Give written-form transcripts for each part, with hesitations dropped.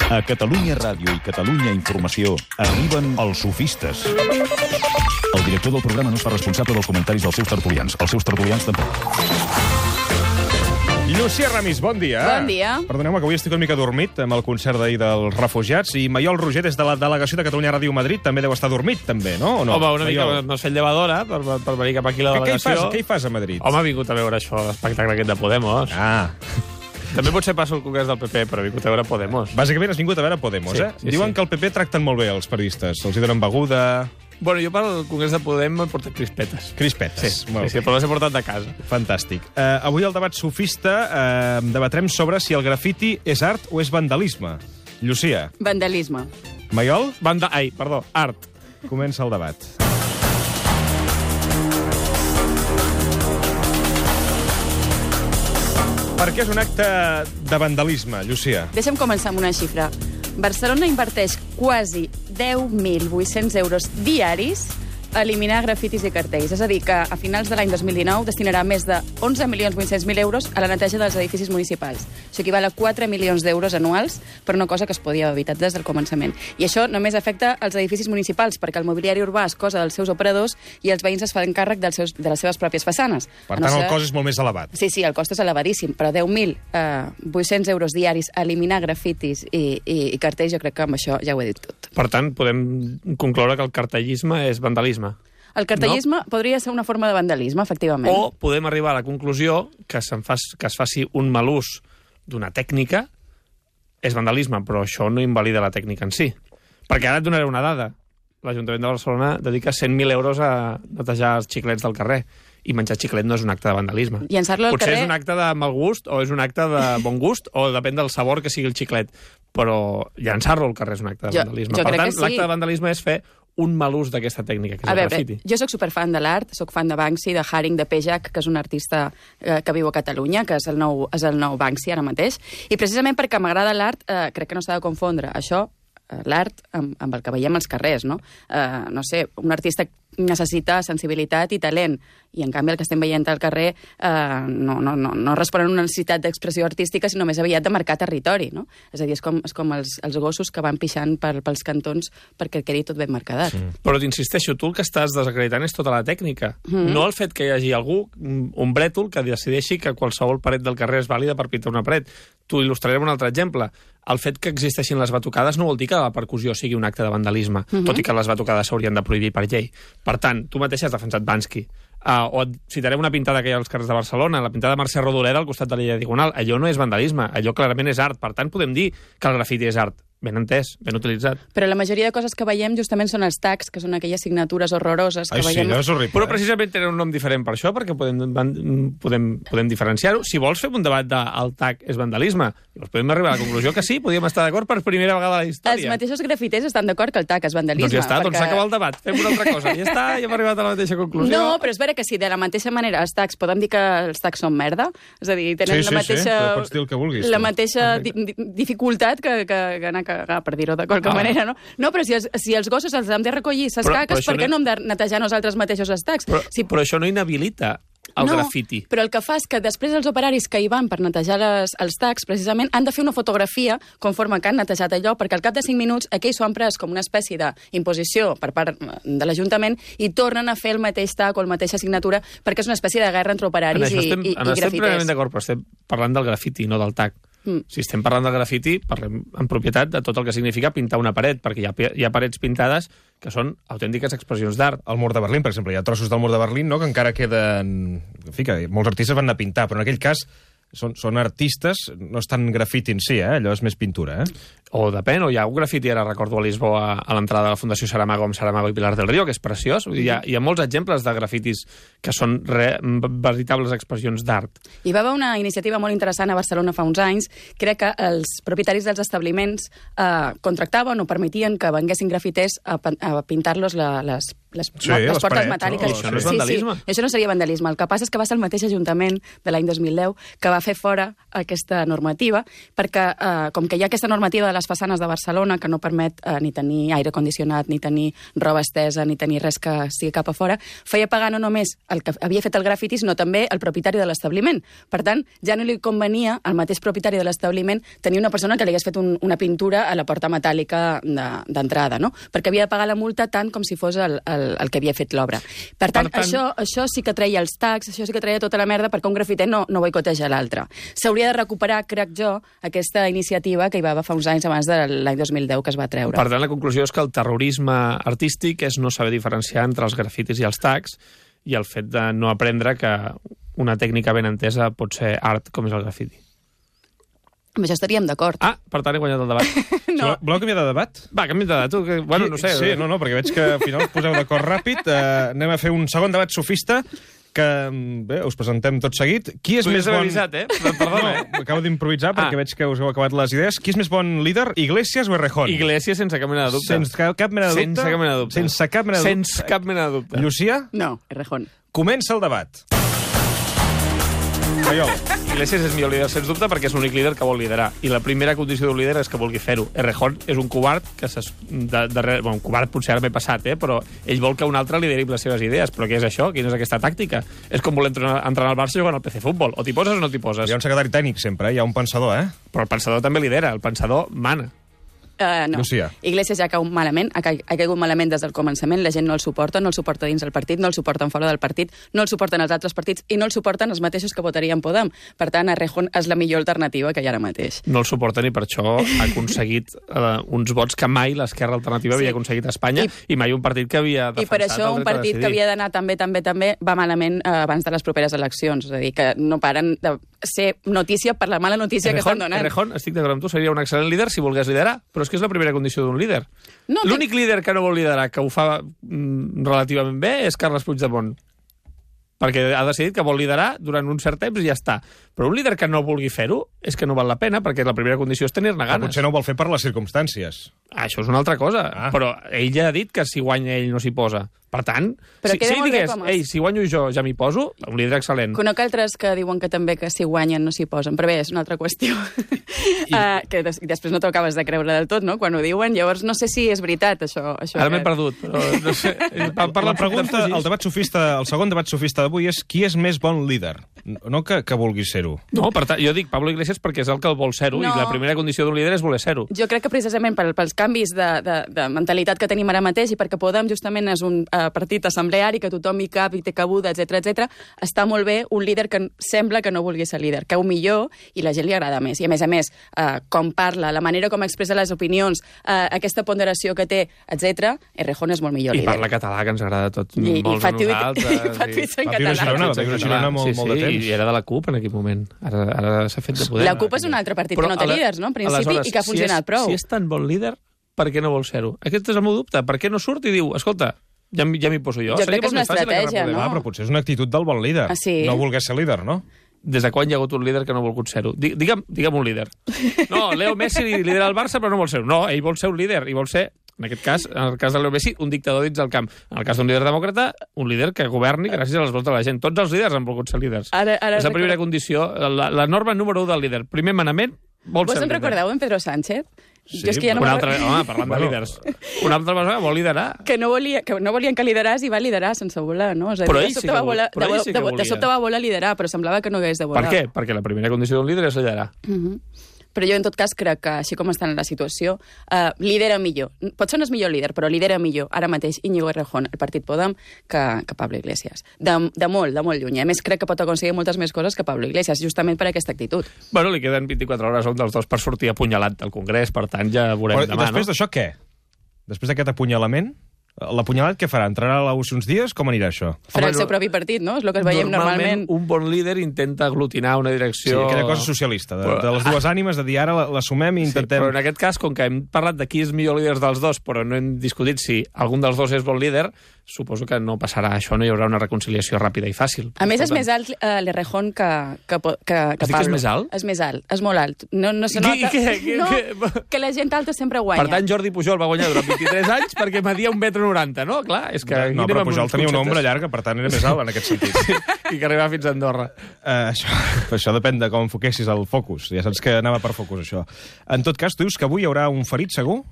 A Catalunya Ràdio i Catalunya Informació arriben els sofistes. El director del programa no es fa responsable dels comentaris dels seus tertulians. Els seus tertulians tampoc. Llucia Ramis, bon dia. Bon dia. Perdoneu-me que avui estic una mica dormit amb el concert d'ahir dels refugiats i Maiol Roger, des de la delegació de Catalunya Ràdio Madrid, també deu estar dormit, també, no? O no? Home, una Maiol? mica m'has fet llevadora per venir cap aquí a la delegació. Què hi fas a Madrid? Home, he vingut a veure això, l'espectacle aquest de Podemos. Ah, També potser passo al Congrés del PP, però he vingut a veure Podemos. bàsicament has vingut a veure Podemos, Sí, eh? sí, Diuen sí. que el PP tracten molt bé els periodistes. Els hi donen beguda... Bueno, jo pel Congrés de Podemos he portat crispetes. Crispetes. Molt Sí, bé. però les he portat de casa. Fantàstic. Avui al debat sofista debatrem sobre si el grafiti és art o és vandalisme. Llucia, Vandalisme. Maiol, Art. comença el debat. Per què és un acte de vandalisme, Llucia? Deixa'm començar amb una xifra. Barcelona inverteix quasi 10.800 euros diaris a eliminar grafitis i cartells. És a dir, que a finals de l'any 2019 destinarà més de 11.800.000 euros a la neteja dels edificis municipals. Això equival a 4 milions d'euros anuals per una cosa que es podia haver evitat des del començament. I això només afecta els edificis municipals, perquè el mobiliari urbà és cosa dels seus operadors i els veïns es fan càrrec de les seves pròpies façanes. Per tant, el cost és molt més elevat. Sí, el cost és elevadíssim, però 10.800 euros diaris a eliminar grafitis i cartells, jo crec que amb això ja ho he dit tot. Per tant, podem concloure que el cartellisme és vandalisme. El cartellisme podria ser una forma de vandalisme, efectivament. O podem arribar a la conclusió que es faci un mal ús d'una tècnica és vandalisme, però això no invalida la tècnica en si. Perquè ara et donaré una dada. L'Ajuntament de Barcelona dedica 100.000 euros a netejar els xiclets del carrer. I menjar xiclet no és un acte de vandalisme. Llançar-lo al Potser carrer... és un acte de mal gust o és un acte de bon gust o depèn del sabor que sigui el xiclet. Però llançar-lo al carrer és un acte de vandalisme. jo Per crec tant, que sí. l'acte de vandalisme és fer un mal ús d'aquesta tècnica, que és el grafiti. Jo sóc superfan de l'art, sóc fan de Banksy, de Haring, de Pejak, que és un artista que viu a Catalunya, que és el nou Banksy ara mateix. I precisament perquè m'agrada l'art, crec que no s'ha de confondre això, l'art, amb el que veiem als carrers, no? No sé, un artista necessita sensibilitat i talent, i en canvi el que estem veient al carrer no respon a una necessitat d'expressió artística, sinó més aviat de marcar territori, no? És a dir, és com els gossos que van pixant pels cantons perquè quedi tot ben marcadat. Però t'insisteixo, tu el que estàs desacreditant és tota la tècnica. No el fet que hi hagi algú, un brètol, que decideixi que qualsevol paret del carrer és vàlida per pintar una paret. T'ho il·lustraré amb un altre exemple. El fet que existeixin les batucades no vol dir que la percussió sigui un acte de vandalisme, tot i que les batucades s'haurien de prohibir per llei. Per tant, tu mateix has defensat Banksy. O et citaré una pintada que hi ha als carrers de Barcelona, la pintada de Mercè Rodoreda al costat de l'illa Diagonal. Allò no és vandalisme, allò clarament és art. Per tant, podem dir que el grafiti és art. Ben entès, ben utilitzat. Però la majoria de coses que veiem justament són els tags, que són aquelles signatures horroroses que Ai, sí, veiem... allò és horrible. Però precisament tenen un nom diferent per això, perquè podem diferenciar-ho. Si vols fer un debat del tag és vandalisme, llavors podem arribar a la conclusió que sí, podíem estar d'acord per primera vegada a la història. Els mateixos grafiters estan d'acord que el tag és vandalisme. Doncs ja està, doncs perquè... s'acaba el debat. Fem una altra cosa. Ja està, ja hem arribat a la mateixa conclusió. No, però és vera que si de la mateixa manera els tags podem dir que els tags són merda, és a dir, tenen Sí, la mateixa... sí, pots dir el que vulguis. La mateixa dificultat que anar a cagar, per dir-ho de qualque manera, no? No, però si els gossos els hem de recollir ses caques, per què no hem de netejar nosaltres mateixos els tags? Però això no inhabilita el grafiti. Però el que fa és que després els operaris que hi van per netejar els tags, precisament, han de fer una fotografia conforme que han netejat allò, perquè al cap de 5 minuts aquell s'ho han pres com una espècie d'imposició per part de l'Ajuntament i tornen a fer el mateix tag o la mateixa signatura, perquè és una espècie de guerra entre operaris i grafiters. Estem plenament d'acord, però estem parlant del grafiti, no del tag. Si estem parlant del grafiti, parlem en propietat de tot el que significa pintar una paret, perquè hi ha parets pintades que són autèntiques expressions d'art. El mur de Berlín, per exemple, hi ha trossos del mur de Berlín, no?, que encara queden... En fi, que molts artistes van anar a pintar, però en aquell cas són artistes, no és tant grafiti en si, allò és més pintura, O depèn, o hi ha un grafiti, ara recordo a Lisboa, a l'entrada de la Fundació Saramago amb Saramago i Pilar del Río, que és preciós. Hi ha molts exemples de grafitis que són veritables expressions d'art. Hi va haver una iniciativa molt interessant a Barcelona fa uns anys, que era que els propietaris dels establiments contractaven o permetien que venguessin grafiters a pintar-los les portes parets, metàl·liques. Això no és vandalisme. Sí. Això no seria vandalisme. El que passa és que va ser el mateix Ajuntament de l'any 2010 que va fer fora aquesta normativa, perquè com que hi ha aquesta normativa de les les façanes de Barcelona, que no permet ni tenir aire condicionat, ni tenir roba estesa, ni tenir res que sigui cap a fora, feia pagar no només el que havia fet el grafiti, sinó també el propietari de l'establiment. Per tant, ja no li convenia al mateix propietari de l'establiment tenir una persona que li hagués fet una pintura a la porta metàl·lica d'entrada, no? Perquè havia de pagar la multa tant com si fos el que havia fet l'obra. Per tant, això sí que treia els tags, això sí que treia tota la merda perquè un grafiter no boicoteja l'altre. S'hauria de recuperar, crec jo, aquesta iniciativa que hi va haver fa uns anys abans de l'any 2010 que es va treure. Per tant, la conclusió és que el terrorisme artístic és no saber diferenciar entre els grafitis i els tags i el fet de no aprendre que una tècnica ben entesa pot ser art com és el grafiti. Amb això estaríem d'acord. Per tant he guanyat el debat. No. Voleu canviar de debat? Va, canviem de debat. Tu, bueno, no sé. Sí, no, perquè veig que al final us poseu d'acord ràpid. Anem a fer un segon debat sofista que, bé, us presentem tot seguit. Qui és més bon... avisat, Perdona, No, acabo d'improvisar perquè veig que us heu acabat les idees. Qui és més bon líder, Iglesias o Errejón? Iglesias sense cap mena de dubte. Sense cap mena de dubte? Sense cap mena de dubte. Sense cap mena de dubte? Sense cap mena de dubte. Llucia? No, Errejón. Comença el debat. Maiol. Iglesias és millor líder, sens dubte, perquè és l'únic líder que vol liderar. I la primera condició d'un líder és que vulgui fer-ho. Errejón és un covard que un covard potser ara m'he passat, però ell vol que un altre lideri les seves idees. Però què és això? Quina és aquesta tàctica? És com voler entrar al Barça jugant al PC Futbol. O t'hi poses o no t'hi poses. Hi ha un secretari tècnic sempre, hi ha un pensador, Però el pensador també lidera, el pensador mana. No. Llucia. Iglesias ja cau malament, ha caigut malament des del començament, la gent no el suporta dins del partit, no el suporten fora del partit, no el suporten els altres partits i no el suporten els mateixos que votarien Podem. Per tant, Errejón és la millor alternativa que hi ha ara mateix. No el suporten i per això ha aconseguit uns vots que mai l'Esquerra Alternativa havia aconseguit a Espanya i mai un partit que havia defensat. I per això un partit que havia d'anar també va malament abans de les properes eleccions. És a dir, que no paren de ser notícia per la mala notícia que estan donant. Errejón, estic d'acord amb tu, seria un excel·lent líder si volgués liderar, però és que és la primera condició d'un líder. No, l'únic líder que no vol liderar, que ho fa relativament bé, és Carles Puigdemont. Perquè ha decidit que vol liderar durant un cert temps i ja està. Però un líder que no vulgui fer-ho és que no val la pena, perquè la primera condició és tenir-ne ganes. Potser no ho vol fer per les circumstàncies. Això és una altra cosa. Però ell ja ha dit que si guanya ell no s'hi posa. Per tant, si digués, si guanyo jo ja m'hi poso, un líder excel·lent. Conec altres que diuen que també que si guanyen no s'hi posen, però bé, és una altra qüestió. Que després no t'ho acabes de creure del tot, no?, quan ho diuen. Llavors no sé si és veritat, això. Ara m'he perdut, però no sé. La pregunta, el segon debat sofista d'avui és qui és més bon líder? No que vulgui ser-ho. No, per tant, jo dic Pablo Iglesias perquè és el que vol ser-ho i la primera condició d'un líder és voler ser-ho. Jo crec que precisament pels canvis de mentalitat que tenim ara mateix i perquè Podem justament és un partit assembleari que tothom hi cap i té cabuda, etc, està molt bé un líder que sembla que no vulgui ser líder, cau millor i la gent li agrada més. I a més, com parla, la manera com expressa les opinions, aquesta ponderació que té, etc, Errejón és molt millor líder. I parla català, que ens agrada tot molts a nosaltres. I fa tuits en català. Va viure a Girona molt de temps. I era de la CUP en aquell moment. Ara s'ha fet de poder. La CUP és un altre partit que no té líders, no?, en principi, i que ha funcionat prou. Si és tan bon líder, per què no vol ser-ho? Aquest és el meu dubte. Per què no surt i diu, escolta, ja m'hi poso jo? Jo crec que és una estratègia, no? Però potser és una actitud del bon líder. No voler ser líder, no? Des de quan hi ha hagut un líder que no ha volgut ser-ho? Digue'm un líder. No, Leo Messi lidera el Barça però no vol ser-ho. No, ell vol ser un líder i vol ser, en aquest cas, en el cas de Leo Messi, un dictador dins del camp. En el cas d'un líder demòcrata, un líder que governi gràcies a les vots de la gent. Tots els líders han volgut ser líders. És la primera condició, la norma número 1 del líder. Primer manament, vol ser líder. Vos en recordeu en Pedro Sánchez? Sí, parlant de líders. Una altra persona vol liderar. Que no volien que lideràs i va liderar sense volar, no? Però ell sí que volia. De sobte va voler liderar, però semblava que no hagués de volar. Per què? Perquè la primera condició d'un líder és liderar. Però jo, en tot cas, crec que, així com està en la situació, lidera millor. Potser no és millor líder, però lidera millor, ara mateix, Íñigo Errejón, el partit Podem, que Pablo Iglesias. De molt lluny. A més, crec que pot aconseguir moltes més coses que Pablo Iglesias, justament per aquesta actitud. Bueno, li queden 24 hores a un dels dos per sortir apunyalat del Congrés, per tant, ja veurem demà, no? Després d'això, què? Després d'aquest apunyalament? L'apunyalat què farà? Entrarà a la UCI uns dies? Com anirà això? Farà el seu propi partit, no? És el que veiem normalment. Un bon líder intenta aglutinar una direcció... Sí, aquella cosa socialista, de les dues ànimes, de dir ara l'assumem i intentem... Sí, però en aquest cas, com que hem parlat de qui és millor líder dels dos, però no hem discutit si algun dels dos és bon líder, suposo que no passarà això, no hi haurà una reconciliació ràpida i fàcil. A més, és més alt l'Errejón que Has dit que és més alt? És més alt, és molt alt. No se nota... Que la gent alta sempre guanya. Per tant, Jordi Pujol va guanyar durant 23 anys perquè media 1,90 m, no? Clar, és que... No, però Pujol tenia una ombra llarga, per tant era més alt en aquest sentit. I que arribava fins a Andorra. Això depèn de com enfoquessis el focus. Ja saps que anava per focus, això. En tot cas, tu dius que avui hi haurà un ferit, segur?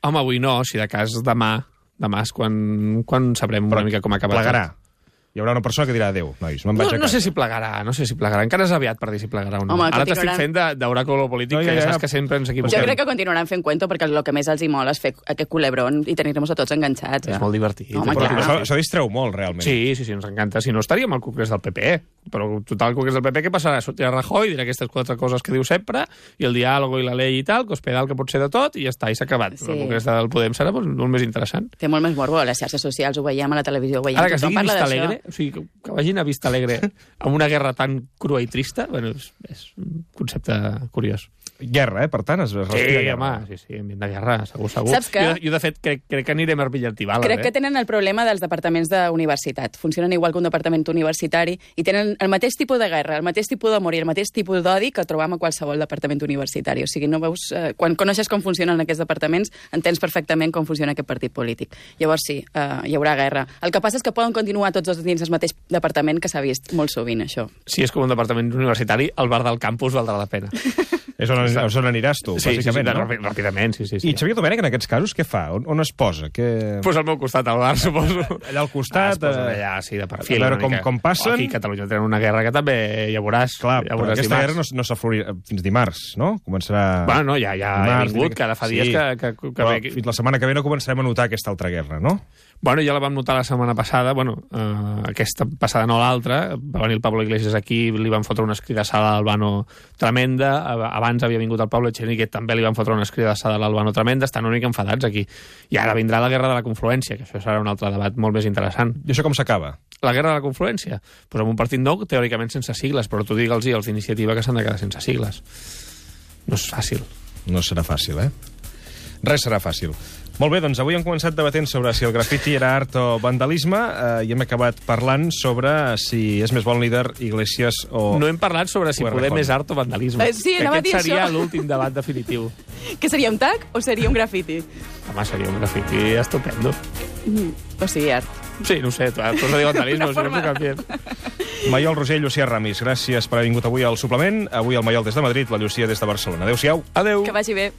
Home, avui no, si de cas demà és quan sabrem una mica com ha acabat. Plegarà. Hi haurà una persona que dirà adéu, nois, me'n vaig a casa. No sé si plegarà. Encara és aviat per dir si plegarà o no. Home, ara t'estic fent d'oràculo polític, que ja saps que sempre ens equivoquem. Jo crec que continuaran fent cuento perquè el que més els hi mola és fer aquest culebrón i tenir-nos a tots enganxats. És molt divertit. Home, però això distreu molt, realment. Sí, ens encanta. Si no, estaríem al congrés del PP. Però total, el congrés del PP, què passarà? Sortirà Rajoy, dirà aquestes 4 coses que diu sempre, i el diàleg i la llei i tal, que hospedal que pot ser de tot, i ja està, i s'ha acabat. Sí. El congrés del Podem serà molt més interessant. Té molt més morbo a les xarxes socials, ho veiem a la televisió, ho veiem. Ara que es digui Vista Alegre, o sigui, que vagin a Vista Alegre amb una guerra tan crua i trista, bueno, és un concepte curiós. Guerra, per tant, es respira guerra. Sí, ambient de guerra, segur. Saps que... Jo, de fet, crec que anirem a Arpillantival. Crec que tenen el problema dels departaments d'universitat. Funcionen igual que un departament universitari i tenen el mateix tipus de guerra, el mateix tipus d'amor i el mateix tipus d'odi que trobam a qualsevol departament universitari. O sigui, no veus... quan coneixes com funcionen aquests departaments, entens perfectament com funciona aquest partit polític. Llavors sí, hi haurà guerra. El que passa és que poden continuar tots dos dins el mateix departament, que s'ha vist molt sovint, això. Si és com un departament universitari, el bar del campus valdrà la pena. És on aniràs tu, bàsicament, no? Ràpidament, sí. I Xavier Domènech, en aquests casos, què fa? On es posa? Pues al meu costat, al bar, suposo. Allà al costat? Es posa allà, sí, de perfil. A veure com passen. Aquí a Catalunya tenen una guerra que també ja veuràs. Clar, però aquesta guerra no s'aflorirà fins dimarts, no? Començarà... Bueno, no, ja ha vingut, cada fa dies que però fins la setmana que ve no començarem a notar aquesta altra guerra, no? Bueno, ja la vam notar la setmana passada, aquesta passada no l'altra, va venir el Pablo Iglesias aquí, li van fotre una escridassada a l'Albano tremenda, abans havia vingut el Pablo Echenique, també li van fotre una escridassada a l'Albano tremenda, estan una mica enfadats aquí. I ara vindrà la guerra de la confluència, que això serà un altre debat molt més interessant. I això com s'acaba? La guerra de la confluència? Pues amb un partit nou, teòricament sense sigles, però tu digue'ls als d'iniciativa que s'han de quedar sense sigles. No és fàcil. No serà fàcil, Res serà fàcil. Molt bé, doncs avui hem començat debatent sobre si el grafiti era art o vandalisme i hem acabat parlant sobre si és més bon líder Iglesias o... No hem parlat sobre si Podem és art o vandalisme. Sí, anava a dir aquest seria això. l'últim debat definitiu. Que seria un tag o seria un grafiti? Home, seria un grafiti estupendo. O sigui, art. Sí, no ho sé, tu has de dir vandalisme, si no puc canviar. Maiol Roser i Llucia Ramis, gràcies per haver vingut avui al suplement. Avui el Maiol des de Madrid, la Llucia des de Barcelona. Adéu-siau. Adéu. Que vagi bé.